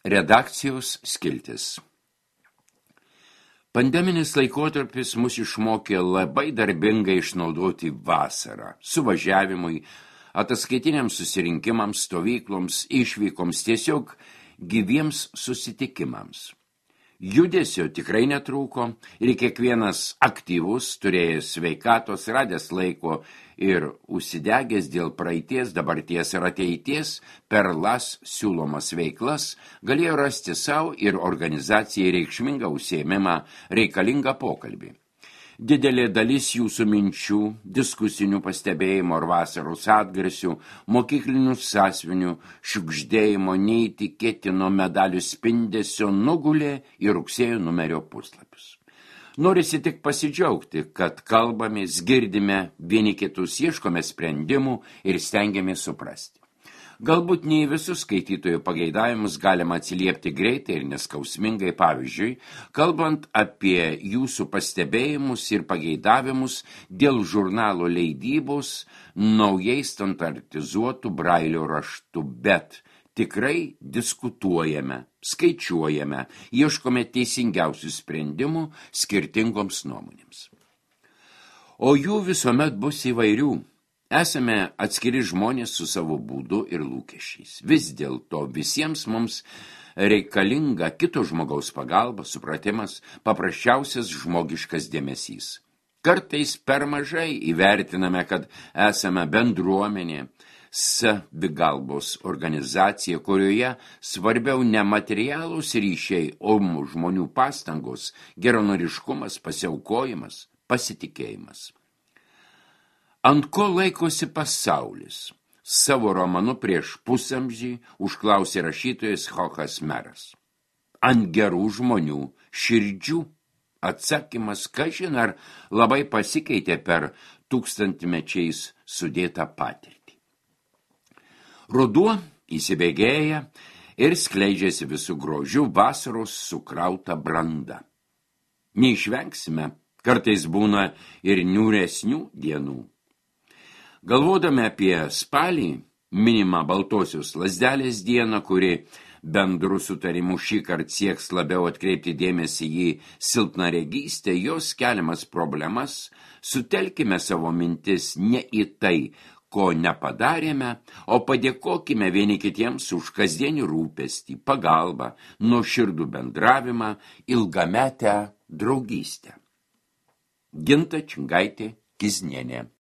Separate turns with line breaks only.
Redakcijos skiltis. Pandeminis laikotarpis mus išmokė labai darbingai išnaudoti vasarą, suvažiavimui, ataskaitiniams susirinkimams, stovykloms, išvykoms, tiesiog gyviems susitikimams. Judesio tikrai netrūko ir kiekvienas aktyvus, turėjęs sveikatos, radęs laiko ir užsidegęs dėl praeities, dabarties ir ateities per LAS siūlomas veiklas, galėjo rasti savo ir organizacijai reikšmingą užsiėmimą, reikalingą pokalbį. Didelė dalis jūsų minčių, diskusinių pastebėjimų ar vasaros atgarsių, mokyklinių sąsvinių, šiugždėjimo, neįtikėtino medalių spindesio nugulė į rugsėjo numerio puslapius. Norisi tik pasidžiaugti, kad kalbamės, girdime vieni kitus, ieškome sprendimų ir stengiamės suprasti. Galbūt ne į visus skaitytojų pageidavimus galima atsiliepti greitai ir neskausmingai, pavyzdžiui, kalbant apie jūsų pastebėjimus ir pageidavimus dėl žurnalo leidybos naujai standartizuotų brailio raštų, bet tikrai diskutuojame, skaičiuojame, ieškome teisingiausių sprendimų skirtingoms nuomonėms. O jų visuomet bus įvairių. Esame atskiri žmonės su savo būdu ir lūkesčiais. Vis dėlto visiems mums reikalinga kito žmogaus pagalba, supratimas, paprasčiausias žmogiškas dėmesys. Kartais per mažai įvertiname, kad esame bendruomenė, savigalbos organizacija, kurioje svarbiau ne materialūs ryšiai, o žmonių pastangos, geranoriškumas, pasiaukojimas, pasitikėjimas. Ant ko laikosi pasaulis? Savo romanu Prieš pusamžį užklausė rašytojas Chochas Meras. Ant gerų žmonių širdžių. Atsakymas, kažin ar labai pasikeitė per tūkstantmečiais sudėtą patirtį. Ruduo įsibėgėja ir skleidžiasi visų grožių vasaros sukrauta branda. Neišvengsime, kartais būna ir niūresnių dienų. Galvodami apie spalį, minimą Baltosios lazdelės dieną, kuri bendru sutarimu šįkart sieks labiau atkreipti dėmesį į silpnaregystę, jos keliamas problemas, sutelkime savo mintis ne į tai, ko nepadarėme, o padėkokime vieni kitiems už kasdienį rūpestį, pagalbą, nuoširdų bendravimą, ilgametę draugystę. Ginta Čingaitė Kiznienė.